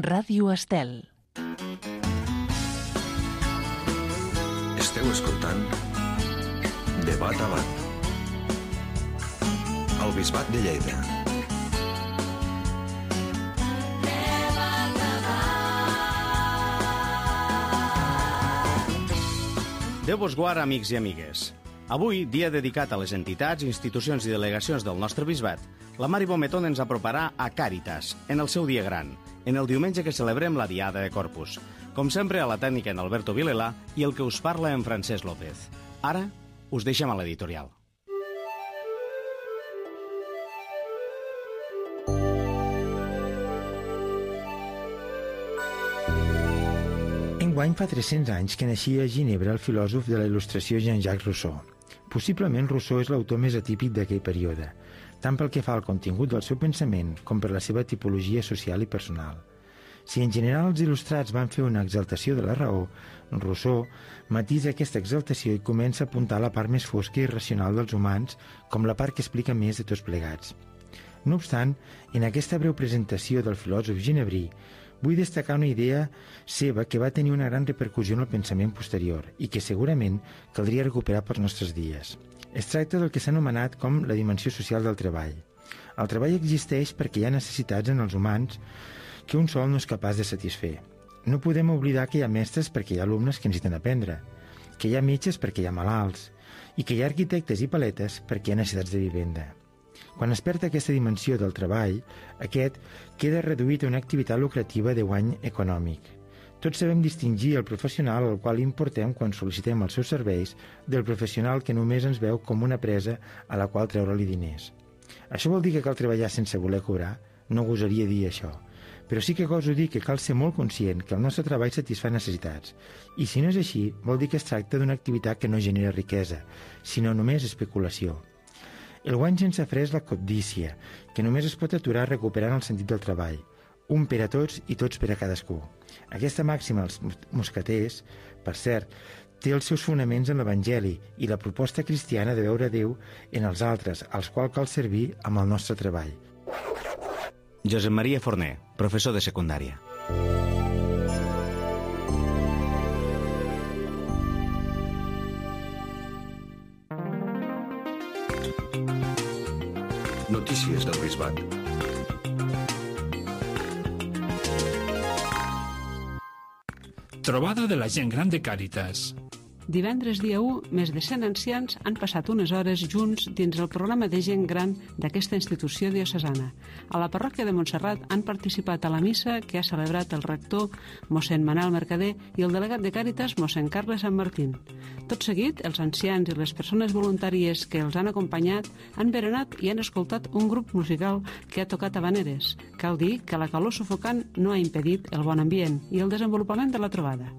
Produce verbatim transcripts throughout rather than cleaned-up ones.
Ràdio Estel. Esteu escoltant Debat a Bat al Bisbat de Lleida. Déu vos guard, amics i amigues. Avui, dia dedicat a les entitats, institucions i delegacions del nostre bisbat, la Mari Bometón ens aproparà a Càritas, en el seu dia gran, en el diumenge que celebrem la Diada de Corpus. Com sempre, a la tècnica en Alberto Vilela i el que us parla en Francesc López. Ara, us deixem a l'editorial. Enguany fa tres-cents anys que naixia a Ginebra el filòsof de la il·lustració Jean-Jacques Rousseau. Possiblement Rousseau és l'autor més atípic d'aquell període, tant pel que fa al contingut del seu pensament com per la seva tipologia social i personal. Si en general els il·lustrats van fer una exaltació de la raó, Rousseau matisa aquesta exaltació i comença a apuntar la part més fosca i irracional dels humans com la part que explica més de tots plegats. No obstant, en aquesta breu presentació del filòsof ginebrí, vull destacar una idea seva que va tenir una gran repercussió en el pensament posterior i que segurament caldria recuperar pels nostres dies. Es tracta del que s'ha anomenat com la dimensió social del treball. El treball existeix perquè hi ha necessitats en els humans que un sol no és capaç de satisfer. No podem oblidar que hi ha mestres perquè hi ha alumnes que necessiten aprendre, que hi ha metges perquè hi ha malalts i que hi ha arquitectes i paletes perquè hi ha necessitats de vivenda. Quan es perd aquesta dimensió del treball, aquest queda reduït a una activitat lucrativa de guany econòmic. Tots sabem distingir el professional al qual importem quan sol·licitem els seus serveis del professional que només ens veu com una presa a la qual treure-li diners. Això vol dir que cal treballar sense voler cobrar? No gosaria dir això. Però sí que goso dir que cal ser molt conscient que el nostre treball satisfà necessitats. I si no és així, vol dir que es tracta d'una activitat que no genera riquesa, sinó només especulació. El guany sense fre és la cobdícia, que només es pot aturar recuperant el sentit del treball. Un per a tots i tots per a cadascú. Aquesta màxima als mosqueters, per cert, té els seus fonaments en l'Evangeli i la proposta cristiana de veure Déu en els altres, als quals cal servir amb el nostre treball. Josep Maria Forner, professor de secundària. Notícies del Bisbat. Trobada de la gent gran de Càritas. Divendres dia u, més de cent ancians han passat unes hores junts dins el programa de gent gran d'aquesta institució diocesana. A la parròquia de Montserrat han participat a la missa que ha celebrat el rector mossèn Manel Mercader i el delegat de Càritas mossèn Carles Sant Martín. Tot seguit, els ancians i les persones voluntàries que els han acompanyat han berenat i han escoltat un grup musical que ha tocat habaneres. Cal dir que la calor sufocant no ha impedit el bon ambient i el desenvolupament de la trobada.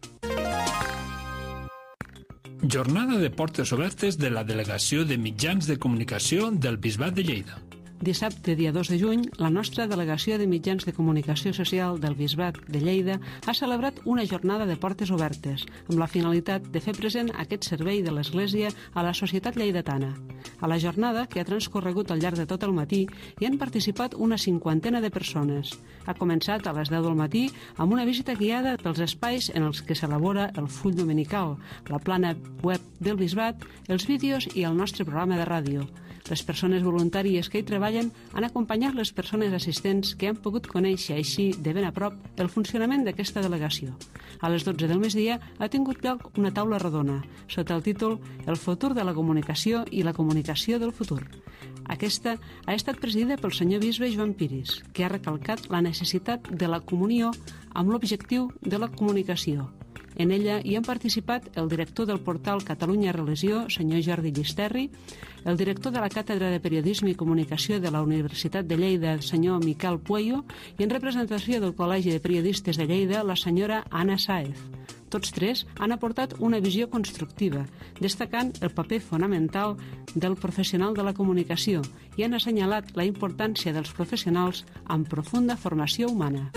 Jornada de portes obertes de la Delegació de Mitjans de Comunicació del Bisbat de Lleida. Dissabte, dia dos de juny, la nostra Delegació de Mitjans de Comunicació Social del Bisbat de Lleida ha celebrat una jornada de portes obertes, amb la finalitat de fer present aquest servei de l'Església a la societat lleidatana. A la jornada, que ha transcorregut al llarg de tot el matí, hi han participat una cinquantena de persones. Ha començat a les deu del matí amb una visita guiada pels espais en els que s'elabora el full dominical, la plana web del Bisbat, els vídeos i el nostre programa de ràdio. Les persones voluntàries que hi treballen han acompanyat les persones assistents que han pogut conèixer així de ben a prop el funcionament d'aquesta delegació. A les dotze del migdia ha tingut lloc una taula rodona sota el títol El futur de la comunicació i la comunicació del futur. Aquesta ha estat presidida pel senyor bisbe Joan Piris, que ha recalcat la necessitat de la comunió amb l'objectiu de la comunicació. En ella hi han participat el director del portal Catalunya Religió, senyor Jordi Llisterri, el director de la Càtedra de Periodisme i Comunicació de la Universitat de Lleida, senyor Miquel Pueyo, i en representació del Col·legi de Periodistes de Lleida, la senyora Anna Sáez. Tots tres han aportat una visió constructiva, destacant el paper fonamental del professional de la comunicació i han assenyalat la importància dels professionals amb profunda formació humana.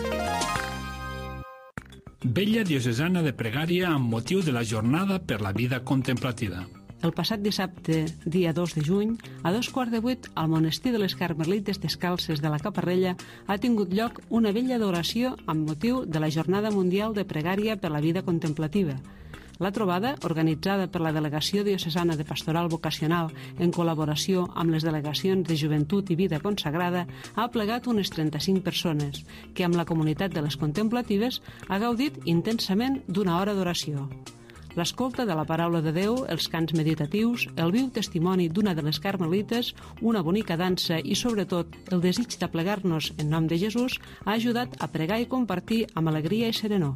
Vetlla diocesana de pregària amb motiu de la Jornada per la Vida Contemplativa. El passat dissabte, dia dos de juny, a dos quarts de vuit, al monestir de les Carmelites Descalces de la Caparrella ha tingut lloc una vella d'oració amb motiu de la Jornada Mundial de Pregària per la Vida Contemplativa. La trobada, organitzada per la Delegació Diocesana de Pastoral Vocacional en col·laboració amb les delegacions de Joventut i Vida Consagrada, ha plegat unes trenta-cinc persones, que amb la comunitat de les contemplatives ha gaudit intensament d'una hora d'oració. L'escolta de la paraula de Déu, els cants meditatius, el viu testimoni d'una de les carmelites, una bonica dansa i, sobretot, el desig d'aplegar-nos en nom de Jesús ha ajudat a pregar i compartir amb alegria i serenor.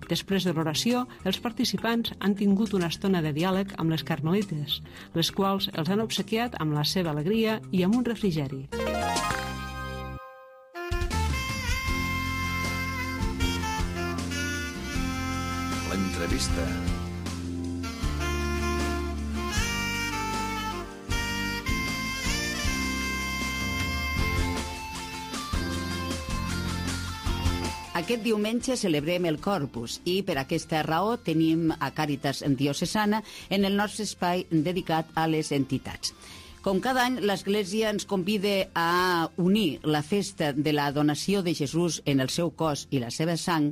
Després de l'oració, els participants han tingut una estona de diàleg amb les carmelites, les quals els han obsequiat amb la seva alegria i amb un refrigeri. L'entrevista. Aquest diumenge celebrem el Corpus i per aquesta raó tenim a Càritas Diocesana en el nostre espai dedicat a les entitats. Com cada any, l'Església ens convida a unir la festa de la donació de Jesús en el seu cos i la seva sang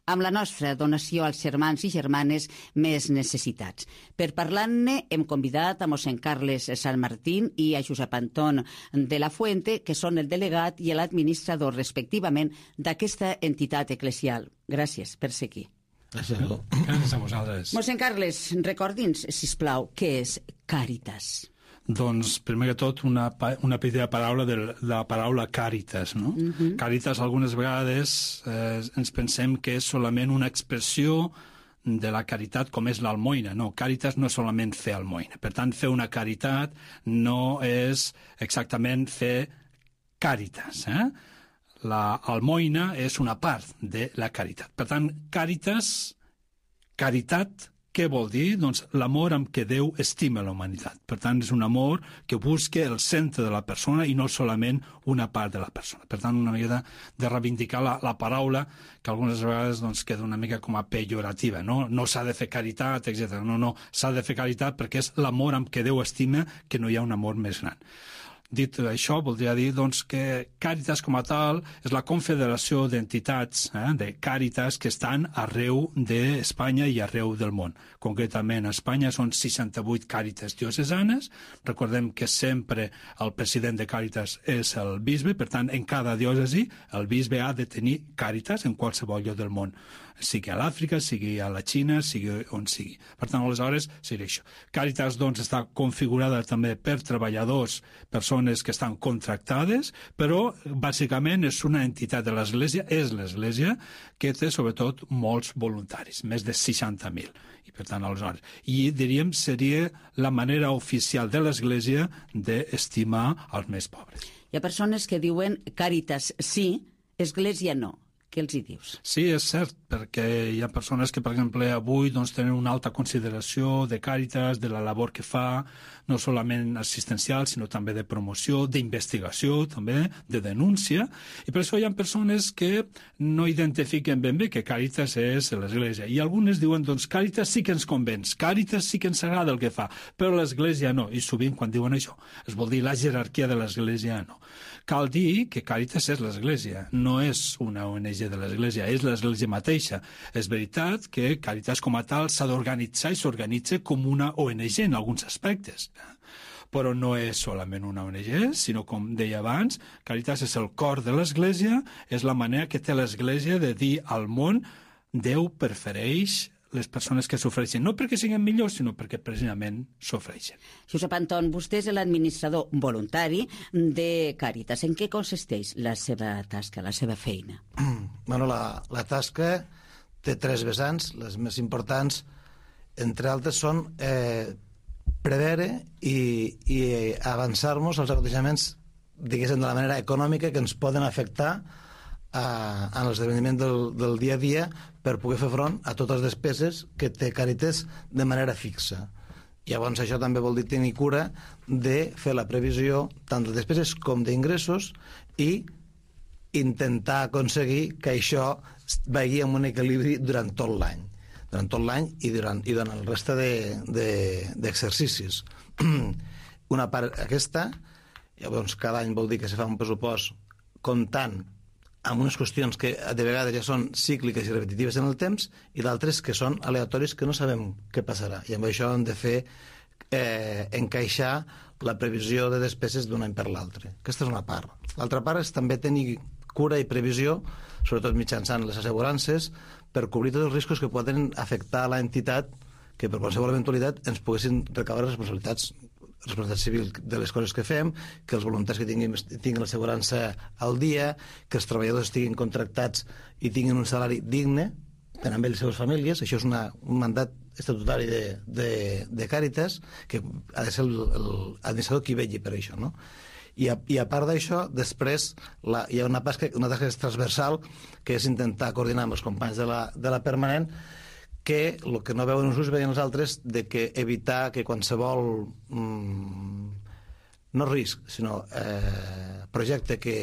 amb la nostra donació als germans i germanes més necessitats. Per parlar-ne, hem convidat a mossèn Carles San Martín i a Josep Anton de la Fuente, que són el delegat i l'administrador, respectivament, d'aquesta entitat eclesial. Gràcies per ser aquí. Gràcies a, Gràcies a vosaltres. Mossèn Carles, recordi'ns, sisplau, què és Càritas? Doncs, primer que tot, una, una petita paraula de la paraula càritas, no? Uh-huh. Càritas, algunes vegades, eh, ens pensem que és solament una expressió de la caritat com és l'almoina. No, càritas no és solament fer almoina. Per tant, fer una caritat no és exactament fer càritas, eh? La almoina és una part de la caritat. Per tant, càritas, caritat, què vol dir? Doncs l'amor amb què Déu estima la humanitat. Per tant, és un amor que busca el centre de la persona i no solament una part de la persona. Per tant, una mica de, de reivindicar la, la paraula que algunes vegades doncs, queda una mica com a pejorativa. No, no s'ha de fer caritat, etcètera. No, no, s'ha de fer caritat perquè és l'amor amb què Déu estima, que no hi ha un amor més gran. Dit això, voldria dir doncs, que Càritas com a tal és la confederació d'entitats, eh, de Càritas, que estan arreu d'Espanya i arreu del món. Concretament, a Espanya són seixanta-vuit Càritas diocesanes. Recordem que sempre el president de Càritas és el bisbe, per tant, en cada diòcesi el bisbe ha de tenir Càritas en qualsevol lloc del món, sigui a l'Àfrica, sigui a la Xina, sigui on sigui. Per tant, aleshores, seria això. Càritas, doncs, està configurada també per treballadors, persones que estan contractades, però, bàsicament, és una entitat de l'Església, és l'Església, que té, sobretot, molts voluntaris, més de seixanta mil. I, per tant, aleshores, i, diríem, seria la manera oficial de l'Església d'estimar els més pobres. Hi ha persones que diuen Càritas sí, Església no. Què els hi dius? Sí, és cert, perquè hi ha persones que, per exemple, avui doncs, tenen una alta consideració de Càritas, de la labor que fa, no solament assistencial, sinó també de promoció, d'investigació, també, de denúncia, i per això hi ha persones que no identifiquen ben bé que Càritas és l'Església. I algunes diuen, doncs, Càritas sí que ens convenç, Càritas sí que ens agrada el que fa, però l'Església no. I sovint, quan diuen això, es vol dir la jerarquia de l'Església no. Cal dir que Càritas és l'Església, no és una O N G de l'Església, és l'Església mateixa. És veritat que Càritas com a tal s'ha d'organitzar i s'organitza com una O N G en alguns aspectes. Però no és solament una O N G, sinó, com deia abans, Càritas és el cor de l'Església, és la manera que té l'Església de dir al món Déu prefereix les persones que sofreixen, no perquè siguin millors, sinó perquè precisament sofreixen. Josep Anton, vostè és l'administrador voluntari de Càritas. En què consisteix la seva tasca, la seva feina? Bueno, la, la tasca té tres vessants. Les més importants, entre altres, són eh, preveure i, i avançar-nos als aconteixements, diguéssim, de la manera econòmica que ens poden afectar a, a l'esdeveniment del, del dia a dia, per poder fer front a totes les despeses que té Càritas de manera fixa. Llavors això també vol dir tenir cura de fer la previsió tant de despeses com d'ingressos i intentar aconseguir que això vagi en un equilibri durant tot l'any. durant tot l'any i durant, i durant el reste d'exercicis. Una part aquesta, llavors cada any vol dir que se fa un pressupost comptant amb unes qüestions que de vegades ja són cícliques i repetitives en el temps i d'altres que són aleatoris que no sabem què passarà. I amb això hem de fer eh, encaixar la previsió de despeses d'un any per l'altre. Aquesta és una part. L'altra part és també tenir cura i previsió, sobretot mitjançant les assegurances, per cobrir tots els riscos que poden afectar a l'entitat que per qualsevol eventualitat ens poguessin recaure responsabilitats responsabilitat civil de les coses que fem, que els voluntaris que tinguin, tinguin l'assegurança al dia, que els treballadors estiguin contractats i tinguin un salari digne, tant amb ells i les seves famílies. Això és una, un mandat estatutari de, de, de Càritas, que ha de ser l'administrador qui vetlli per això, no? I a, i a part d'això, després la, hi ha una tasca, una tasca transversal, que és intentar coordinar amb els companys de la, de la permanent, que el que no veuen uns veien els altres, de que evitar que qualsevol mmm, no risc, sinó eh, projecte que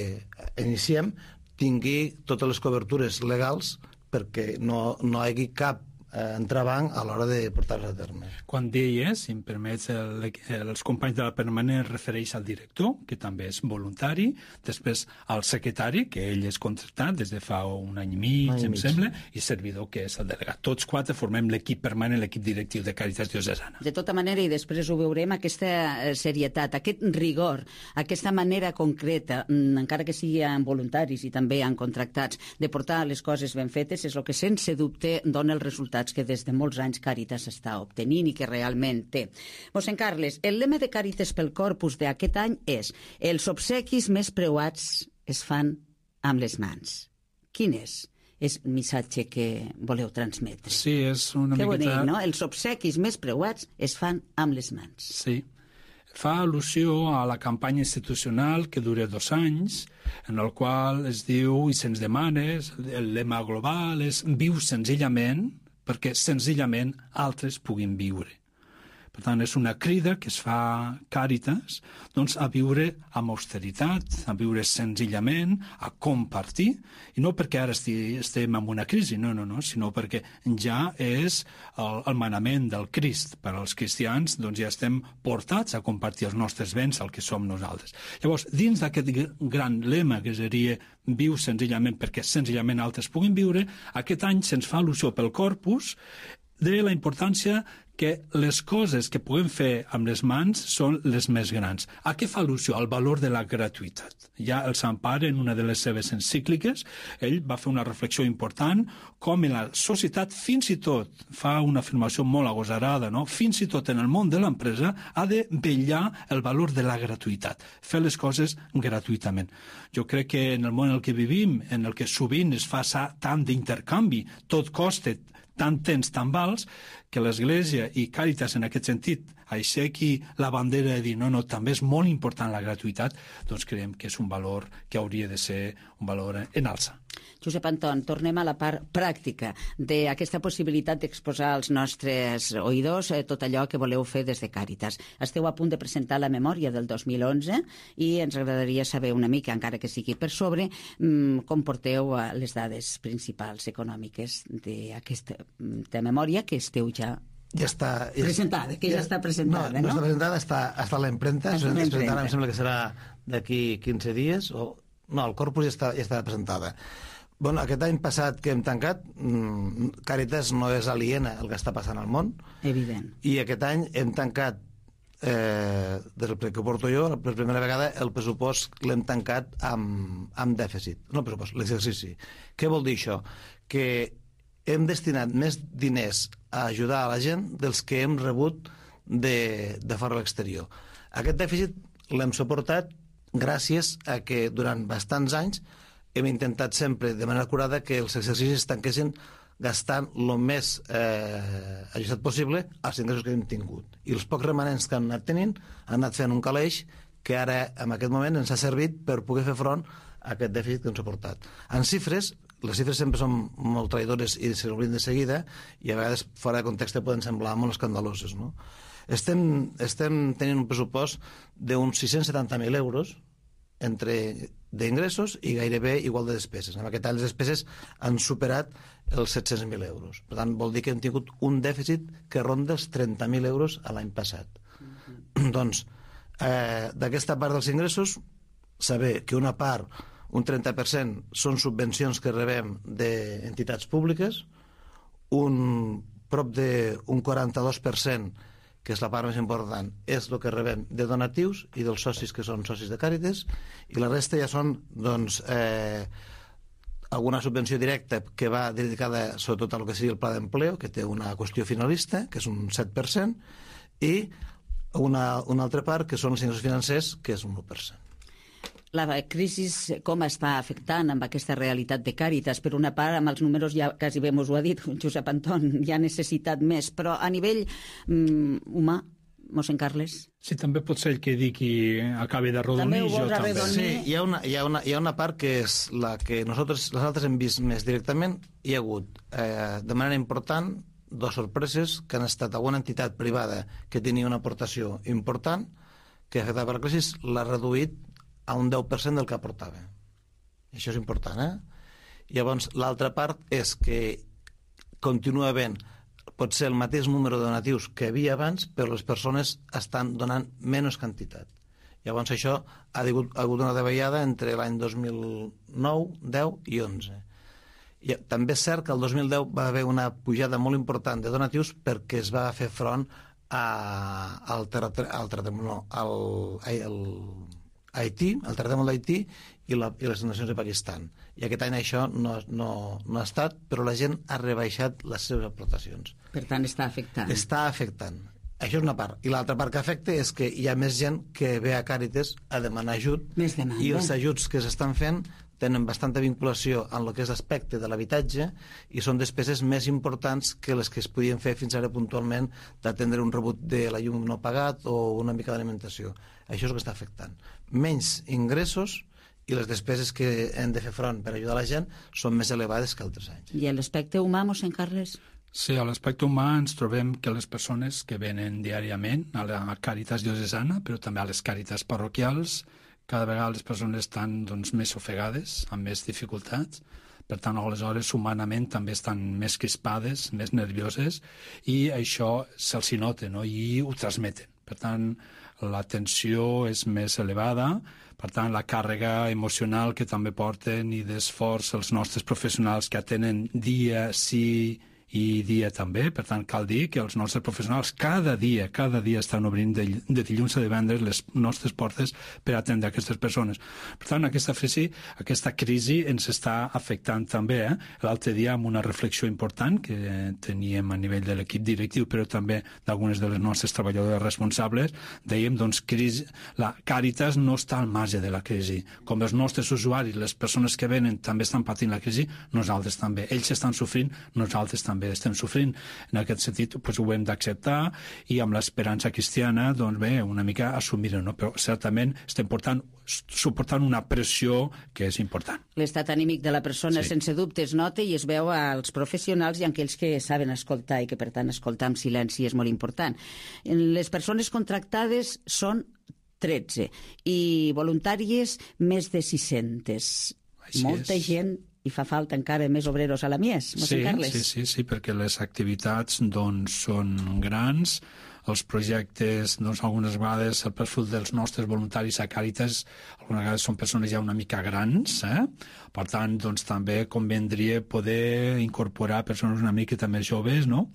iniciem tingui totes les cobertures legals perquè no, no hi hagi cap eh, entrebanc a l'hora de portar-les a terme. Quan deies, si em permets, el, els companys de la permanent refereix al director, que també és voluntari, després al secretari, que ell és contractat des de fa un any i mig, any em mig. sembla, i servidor, que és el delegat. Tots quatre formem l'equip permanent, l'equip directiu de Càritas Diocesana. De tota manera, i després ho veurem, aquesta serietat, aquest rigor, aquesta manera concreta, encara que sigui en voluntaris i també en contractats, de portar les coses ben fetes, és el que sense dubte dona els resultats que des de molts anys Càritas està obtenint i que realment té. Mossèn Carles, el lema de Càritas pel Corpus d'aquest any és: els obsequis més preuats es fan amb les mans. Quin és el missatge que voleu transmetre? Sí, és una que miqueta... bonic, no? Els obsequis més preuats es fan amb les mans. Sí. Fa al·lusió a la campanya institucional que dura dos anys, en el qual es diu i se'ns demana, el lema global és viu senzillament, perquè senzillament altres puguin viure. Per tant, és una crida que es fa Càritas doncs, a viure amb austeritat, a viure senzillament, a compartir, i no perquè ara estem en una crisi, no, no, no, sinó perquè ja és el, el manament del Crist. Per als cristians doncs, ja estem portats a compartir els nostres béns, el que som nosaltres. Llavors, dins d'aquest gran lema que seria viu senzillament perquè senzillament altres puguin viure, aquest any se'ns fa al·lusió pel Corpus de la importància que les coses que puguem fer amb les mans són les més grans. A què fa al·lusió? Al valor de la gratuïtat. Ja el Sant Pare, en una de les seves encícliques, ell va fer una reflexió important com en la societat, fins i tot, fa una afirmació molt agosarada, no? Fins i tot en el món de l'empresa ha de vetllar el valor de la gratuïtat, fer les coses gratuïtament. Jo crec que en el món en el que vivim, en el que sovint es fa tant d'intercanvi, tot costa tant temps, tan vals, que l'Església i Càritas en aquest sentit aixequi la bandera de dir no, no, també és molt important la gratuïtat, doncs creiem que és un valor que hauria de ser un valor en alça. Josep Anton, tornem a la part pràctica d'aquesta possibilitat d'exposar als nostres oïdors tot allò que voleu fer des de Càritas. Esteu a punt de presentar la memòria del dos mil onze i ens agradaria saber una mica, encara que sigui per sobre, com porteu les dades principals econòmiques d'aquesta memòria que esteu ja ja està... Ja, presentada, que ja, ja està presentada, no? No, no està presentada, està, està a la impremta, es presentarà, em sembla que serà d'aquí quinze dies, o... No, el Corpus ja està, ja està presentada. Bueno, aquest any passat que hem tancat, Càritas no és aliena al que està passant al món. Evident. I aquest any hem tancat, eh, des del que porto jo, per primera vegada, el pressupost l'hem tancat amb, amb dèficit. No el pressupost, l'exercici. Què vol dir això? Que hem destinat més diners a ajudar a la gent dels que hem rebut de, de fora a l'exterior. Aquest dèficit l'hem suportat gràcies a que durant bastants anys hem intentat sempre de manera acurada que els exercicis es tanquessin gastant el més eh, ajustat possible als ingressos que hem tingut. I els pocs remanents que han anat tenint han anat fent un caleix que ara, en aquest moment, ens ha servit per poder fer front a aquest dèficit que ens ha portat. En xifres, les xifres sempre són molt traïdores i se n'obliden de seguida i a vegades fora de context poden semblar molt escandaloses, no? Estem, estem tenint un pressupost d'uns sis-cents setanta mil euros entre d'ingressos i gairebé igual de despeses. En aquest any les despeses han superat els set-cents mil euros. Per tant, vol dir que hem tingut un dèficit que ronda els trenta mil euros a l'any passat. Mm-hmm. Doncs, eh, d'aquesta part dels ingressos, saber que una part, un trenta per cent, són subvencions que rebem d'entitats públiques, un prop d'un quaranta-dos per cent, que és la part més important, és el que rebem de donatius i dels socis que són socis de Càritas, i la resta ja són, doncs, eh, alguna subvenció directa que va dedicada sobretot a lo que seria el pla d'empleo, que té una qüestió finalista, que és un set per cent, i una, una altra part, que són els ingressos financers, que és un u per cent. La crisi com està afectant amb aquesta realitat de Càritas? Per una part, amb els números ja quasi bé mos ho ha dit Josep Anton, hi ha necessitat més, però a nivell mm, humà, mossèn Carles? Sí, també pot ser el que digui acabi de rodonir. També ho vols arredonir? Sí, hi ha, una, hi, ha una, hi ha una part que és la que nosaltres, les altres hem vist més directament. Hi ha hagut, eh, de manera important, dues sorpreses, que han estat alguna entitat privada que tenia una aportació important, que afectava per la crisi, l'ha reduït a un deu per cent del que aportava. I això és important, eh? Llavors, l'altra part és que continua havent, pot ser el mateix número de donatius que havia abans, però les persones estan donant menys quantitat. Llavors, això ha hagut, ha hagut una davallada entre l'any dos mil nou, deu i onze. I també és cert que el dos mil deu va haver una pujada molt important de donatius perquè es va fer front a, al terratrèmol, no, al, al Haití, el terratrèmol d'Haití i, la, i les nacions de Pakistan. I aquest any això no, no, no ha estat, però la gent ha rebaixat les seves aportacions. Per tant, està afectant. Està afectant. Això és una part. I l'altra part que afecta és que hi ha més gent que ve a Càritas a demanar ajut, més demanda. I els ajuts que s'estan fent tenen bastanta vinculació en el que és l'aspecte de l'habitatge i són despeses més importants que les que es podien fer fins ara puntualment d'atendre un rebut de la llum no pagat o una mica d'alimentació. Això és el que està afectant. Menys ingressos i les despeses que hem de fer front per ajudar la gent són més elevades que altres anys. I l'aspecte humà, mossèn Carles? Sí, a l'aspecte humà ens trobem que les persones que venen diàriament a la Càritas diocesana, però també a les Càritas parroquials, cada vegada les persones estan doncs, més ofegades, amb més dificultats, per tant, aleshores, humanament també estan més crispades, més nervioses, i això se'ls nota, no? I ho transmeten. Per tant, la tensió és més elevada, per tant, la càrrega emocional que també porten i d'esforç els nostres professionals que atenen dia sí i dia també, per tant cal dir que els nostres professionals cada dia, cada dia estan obrint de, de dilluns a divendres les nostres portes per atendre aquestes persones. Per tant, aquesta crisi, aquesta crisi ens està afectant també. Eh? L'altre dia, amb una reflexió important que teníem a nivell de l'equip directiu, però també d'algunes de les nostres treballadores responsables, dèiem, doncs, crisi, la Càritas no està al marge de la crisi. Com els nostres usuaris, les persones que venen també estan patint la crisi, nosaltres també. Ells estan sofrint, nosaltres també estem sofrint. En aquest sentit, doncs, ho hem d'acceptar i amb l'esperança cristiana, doncs bé, una mica assumir-ho, no? Però certament estem portant, suportant una pressió que és important. L'estat anímic de la persona, sí, sense dubte es nota i es veu als professionals i a aquells que saben escoltar i que, per tant, escoltar amb silenci és molt important. Les persones contractades són tretze i voluntàries més de sis-centes. Així Molta és. gent, i fa falta encara més obreros a la Mies, mossèn Sí, Carles. sí, sí, sí, perquè les activitats doncs, són grans, els projectes, doncs, algunes vegades el perfil dels nostres voluntaris a Càritas, algunes vegades són persones ja una mica grans, eh? Per tant, doncs, també convendria poder incorporar persones una miqueta més joves, no?,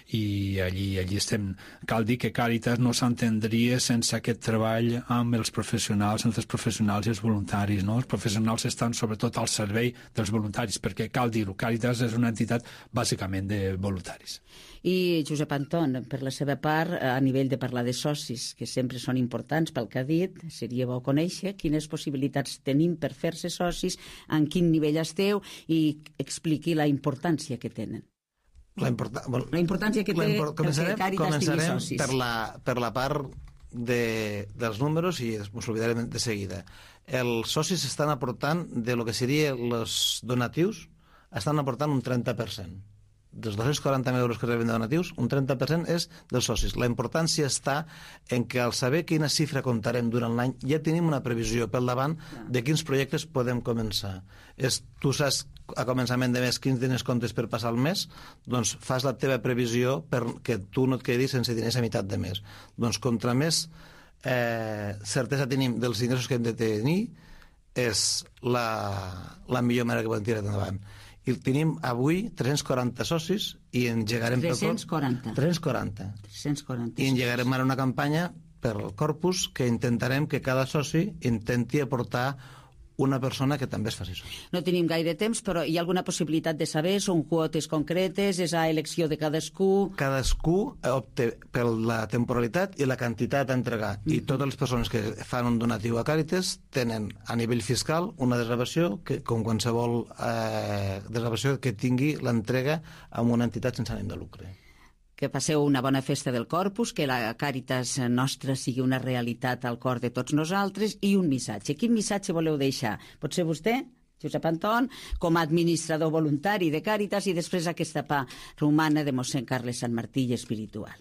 i allí, allí estem. Cal dir que Càritas no s'entendria sense aquest treball amb els professionals, entre els professionals i els voluntaris, no? Els professionals estan sobretot al servei dels voluntaris, perquè cal dir-ho, Càritas és una entitat bàsicament de voluntaris. I Josep Anton, per la seva part, a nivell de parlar de socis, que sempre són importants pel que ha dit, seria bo conèixer quines possibilitats tenim per fer-se socis, en quin nivell esteu i expliqui la importància que tenen. La, importa... bueno, la importància que té import... començarem, que Càritas tingui socis. Per la, per la part de, dels números i ens oblidarem de seguida. Els socis estan aportant de lo que seria els donatius, estan aportant un trenta per cent dels dos-cents quaranta mil euros que reben de donatius, un trenta per cent és dels socis. La importància està en que al saber quina xifra comptarem durant l'any ja tenim una previsió pel davant de quins projectes podem començar. És, tu saps a començament de mes quins diners comptes per passar el mes, doncs fas la teva previsió perquè tu no et quedis sense diners a meitat de mes. Doncs contra més eh, certesa tenim dels ingressos que hem de tenir, és la, la millor manera que podem tirar endavant. I tenim avui tres-cents quaranta socis i engegarem... tres-cents quaranta. tres-cents quaranta. tres-cents quaranta. I engegarem ara una campanya per al Corpus que intentarem que cada soci intenti aportar una persona que també es faci soci. No tenim gaire temps, però hi ha alguna possibilitat de saber? Són quotes concretes? És a elecció de cadascú? Cadascú opta per la temporalitat i la quantitat a entregar. Mm-hmm. I totes les persones que fan un donatiu a Càritas tenen a nivell fiscal una desgravació que, com qualsevol eh, desgravació que tingui l'entrega amb una entitat sense ànim de lucre. Que passeu una bona festa del Corpus, que la Càritas nostra sigui una realitat al cor de tots nosaltres, i un missatge. Quin missatge voleu deixar? Pot ser vostè, Josep Anton, com a administrador voluntari de Càritas, i després aquesta part romana de mossèn Carles Sant Martí i espiritual.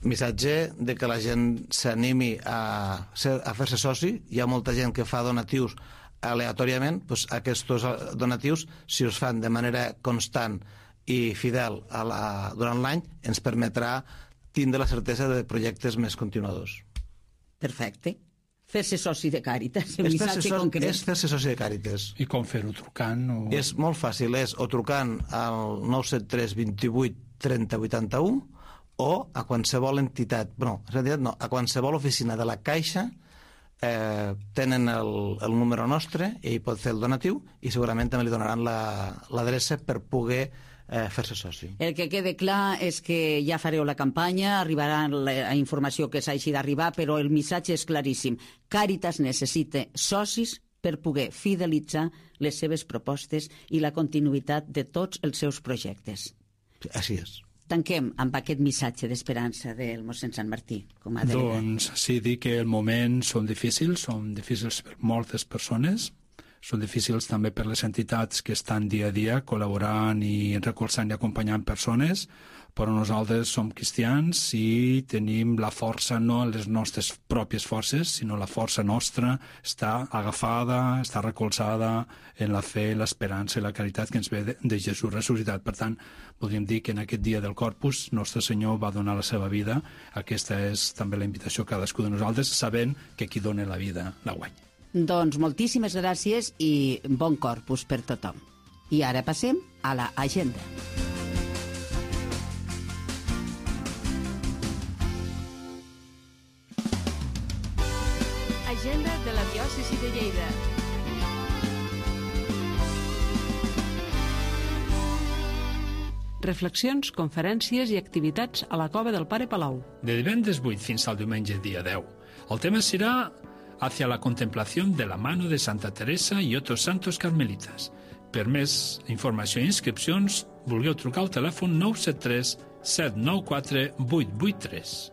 Missatge de que la gent s'animi a, ser, a fer-se soci. Hi ha molta gent que fa donatius aleatòriament. Doncs aquests donatius, si els fan de manera constant i fidel a la, durant l'any, ens permetrà tindre la certesa de projectes més continuadors. Perfecte. Fer-se soci de Càritas, un missatge so concret. És fer-se soci de Càritas. I com fer-ho? Trucant? O... És molt fàcil, és o trucant al nou set tres dos vuit trenta vuitanta-u o a qualsevol entitat, no, no, a qualsevol oficina de la Caixa. Eh, tenen el, el número nostre i ell pot fer el donatiu i segurament també li donaran l'adreça la, per poder eh, fer-se soci. El que quede clar és que ja fareu la campanya, arribarà la informació que s'hagi d'arribar, però el missatge és claríssim. Càritas necessita socis per poder fidelitzar les seves propostes i la continuïtat de tots els seus projectes. Així és. Tanquem amb aquest missatge d'esperança del mossèn Sant Martí, com a delegat. Doncs sí, dir que el moment són difícils, són difícils per moltes persones, són difícils també per les entitats que estan dia a dia col·laborant i recolzant i acompanyant persones, però nosaltres som cristians i tenim la força, no les nostres pròpies forces, sinó la força nostra està agafada, està recolzada en la fe, l'esperança i la caritat que ens ve de, de Jesús ressuscitat. Per tant, podríem dir que en aquest dia del Corpus Nostre Senyor va donar la seva vida. Aquesta és també la invitació a cadascú de nosaltres, sabent que qui dona la vida la guanya. Doncs moltíssimes gràcies i bon Corpus per tothom. I ara passem a l'agenda. Agenda de la diòcesi de Lleida. Reflexions, conferències i activitats a la Cova del Pare Palau. De divendres vuit fins al diumenge dia deu. El tema serà hacia la contemplación de la mano de Santa Teresa i otros santos carmelitas. Per més informació i inscripcions, vulgueu trucar al telèfon nou set tres set nou quatre vuit vuit tres.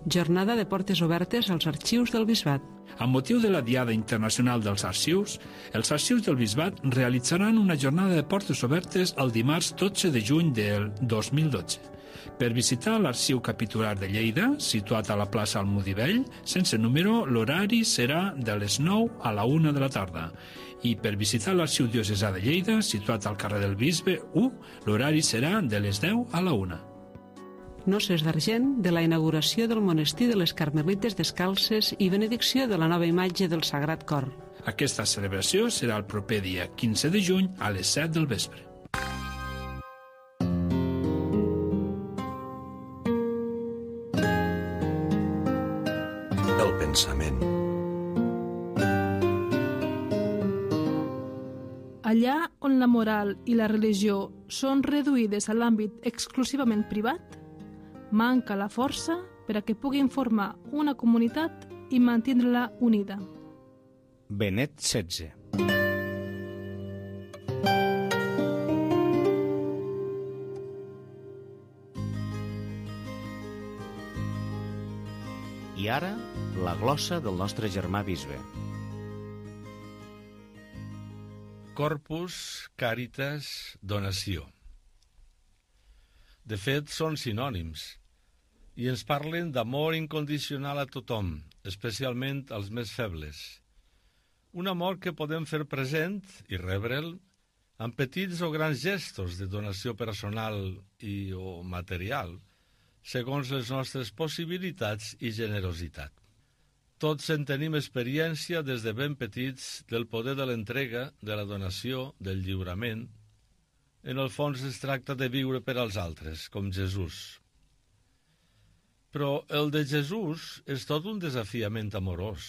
Jornada de portes obertes als arxius del Bisbat. Amb motiu de la Diada Internacional dels Arxius, els arxius del Bisbat realitzaran una jornada de portes obertes el dimarts dotze de juny del dos mil dotze. Per visitar l'arxiu capitular de Lleida, situat a la plaça Almudivell, sense número, l'horari serà de les nou a la una de la tarda. I per visitar l'arxiu diocesà de Lleida, situat al carrer del Bisbe u, l'horari serà de les deu a la una. Noces d'argent de la inauguració del monestir de les Carmelites Descalces i benedicció de la nova imatge del Sagrat Cor. Aquesta celebració serà el proper dia quinze de juny a les set del vespre. El pensament. Allà on la moral i la religió són reduïdes a l'àmbit exclusivament privat, manca la força per a que puguin formar una comunitat i mantindre-la unida. Benet setze. I ara, la glossa del nostre germà bisbe. Corpus Caritas Donació. De fet, són sinònims i ens parlen d'amor incondicional a tothom, especialment als més febles. Un amor que podem fer present i rebre'l amb petits o grans gestos de donació personal i o material, segons les nostres possibilitats i generositat. Tots en tenim experiència des de ben petits del poder de l'entrega, de la donació, del lliurament. En el fons es tracta de viure per als altres, com Jesús. Però el de Jesús és tot un desafiament amorós.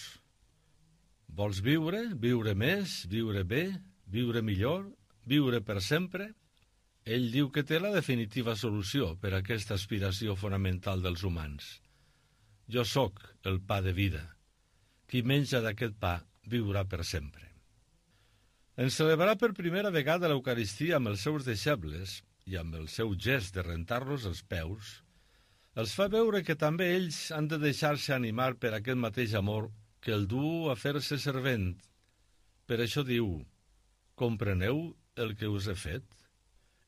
Vols viure, viure més, viure bé, viure millor, viure per sempre? Ell diu que té la definitiva solució per a aquesta aspiració fonamental dels humans. Jo sóc el pa de vida. Qui menja d'aquest pa viurà per sempre. En celebrar per primera vegada l'Eucaristia amb els seus deixebles i amb el seu gest de rentar-los els peus, els fa veure que també ells han de deixar-se animar per aquest mateix amor que el du a fer-se servent. Per això diu: compreneu el que us he fet?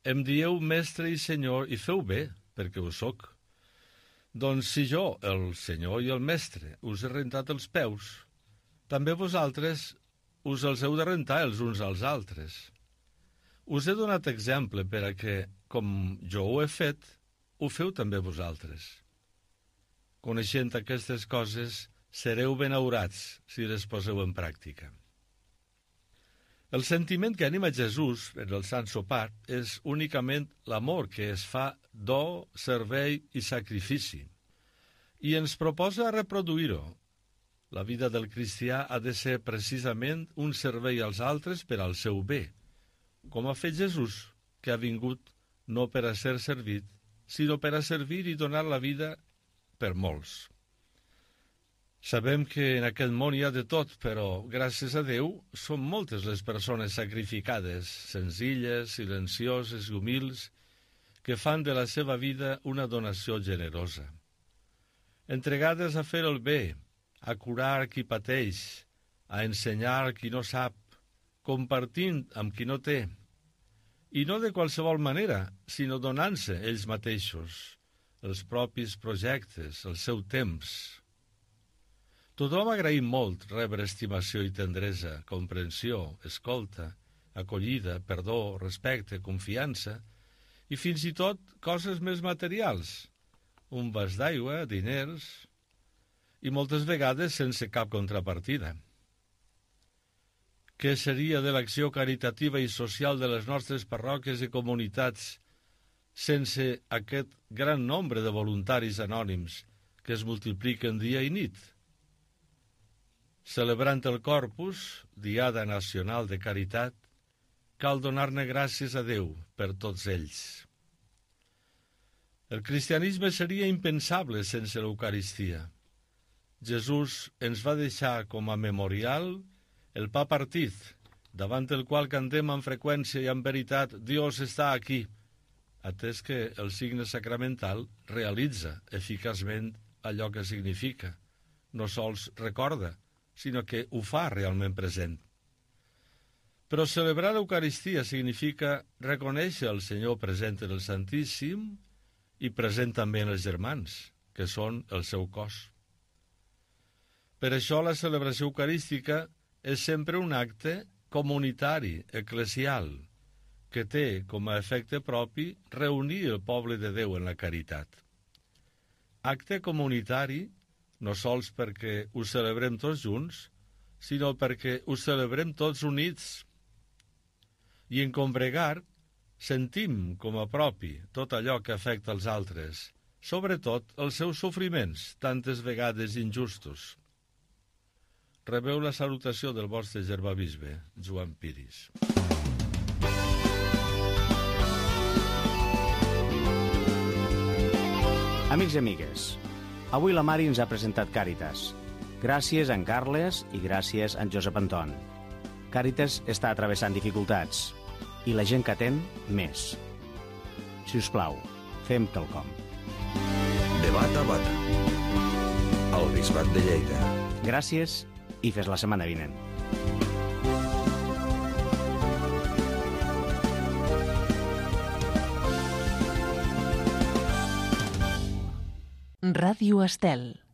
Em dieu mestre i senyor i feu bé, perquè ho soc. Doncs si jo, el senyor i el mestre, us he rentat els peus, també vosaltres us els heu de rentar els uns als altres. Us he donat exemple per a que, com jo ho he fet, ho feu també vosaltres. Coneixent aquestes coses, sereu benaurats si les poseu en pràctica. El sentiment que anima Jesús en el Sant Sopar és únicament l'amor que es fa do, servei i sacrifici, i ens proposa reproduir-ho. La vida del cristià ha de ser precisament un servei als altres per al seu bé, com ha fet Jesús, que ha vingut no per a ser servit, sinó per a servir i donar la vida per molts. Sabem que en aquest món hi ha de tot, però, gràcies a Déu, són moltes les persones sacrificades, senzilles, silencioses i humils, que fan de la seva vida una donació generosa. Entregades a fer el bé, a curar qui pateix, a ensenyar qui no sap, compartint amb qui no té, i no de qualsevol manera, sinó donant-se ells mateixos, els propis projectes, el seu temps. Tothom agraïm molt rebre estimació i tendresa, comprensió, escolta, acollida, perdó, respecte, confiança i fins i tot coses més materials, un vas d'aigua, diners, i moltes vegades sense cap contrapartida. Què seria de l'acció caritativa i social de les nostres parròquies i comunitats sense aquest gran nombre de voluntaris anònims que es multipliquen dia i nit? Celebrant el Corpus, Diada Nacional de Caritat, cal donar-ne gràcies a Déu per tots ells. El cristianisme seria impensable sense l'Eucaristia. Jesús ens va deixar com a memorial el pa partit, davant el qual cantem amb freqüència i amb veritat «Dios està aquí», atès que el signe sacramental realitza eficaçment allò que significa, no sols recorda, sinó que ho fa realment present. Però celebrar l'Eucaristia significa reconèixer el Senyor present en el Santíssim i present també en els germans, que són el seu cos. Per això la celebració eucarística és sempre un acte comunitari, eclesial, que té com a efecte propi reunir el poble de Déu en la caritat. Acte comunitari no sols perquè ho celebrem tots junts, sinó perquè ho celebrem tots units. I en combregar sentim com a propi tot allò que afecta els altres, sobretot els seus sofriments, tantes vegades injustos. Rebeu la salutació del vostre germà-bisbe, Joan Piris. Amics i amigues, avui la Mari ens ha presentat Càritas. Gràcies a en Carles i gràcies a en Josep Anton. Càritas està travessant dificultats i la gent que atén, més. Si us plau, fem quelcom. De bata a bata. El Bisbat de Lleida. Gràcies i fes la setmana vinent. Ràdio Estel.